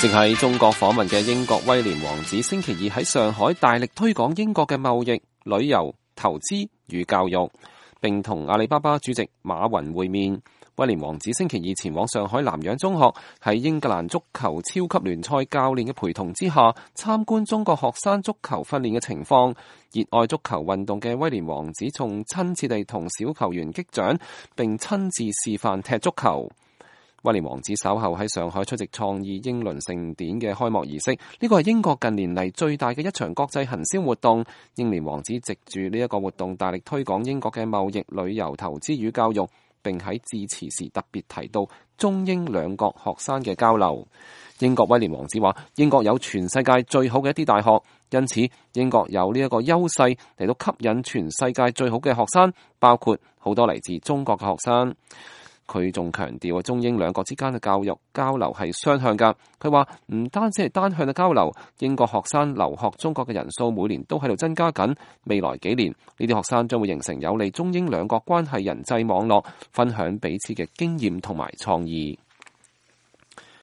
正喺中國訪問嘅英國威廉王子星期二喺上海大力推廣英國嘅貿易、旅遊、投資與教育，並同阿里巴巴主席馬雲會面。威廉王子星期二前往上海南洋中學，喺英格蘭足球超級聯賽教練嘅陪同之下，參觀中國學生足球訓練嘅情況。熱愛足球運動嘅威廉王子仲親切地同小球員擊掌，並親自示範踢足球。威廉王子稍後喺上海出席創意英倫盛典嘅開幕儀式，呢個係英國近年嚟最大嘅一場國際行銷活動。英廉王子藉住呢一個活動，大力推廣英國嘅貿易、旅遊、投資與教育，並喺致辭時特別提到中英兩國學生嘅交流。英國威廉王子話：英國有全世界最好嘅一啲大學，因此英國有呢一個優勢嚟到吸引全世界最好嘅學生，包括好多嚟自中國嘅學生。佢仲強調中英兩國之間嘅教育交流係雙向㗎。佢話唔單止係單向嘅交流，英國學生留學中國嘅人數每年都喺度增加緊。未來幾年，呢啲學生將會形成有利中英兩國關係人際網絡，分享彼此嘅經驗同埋創意。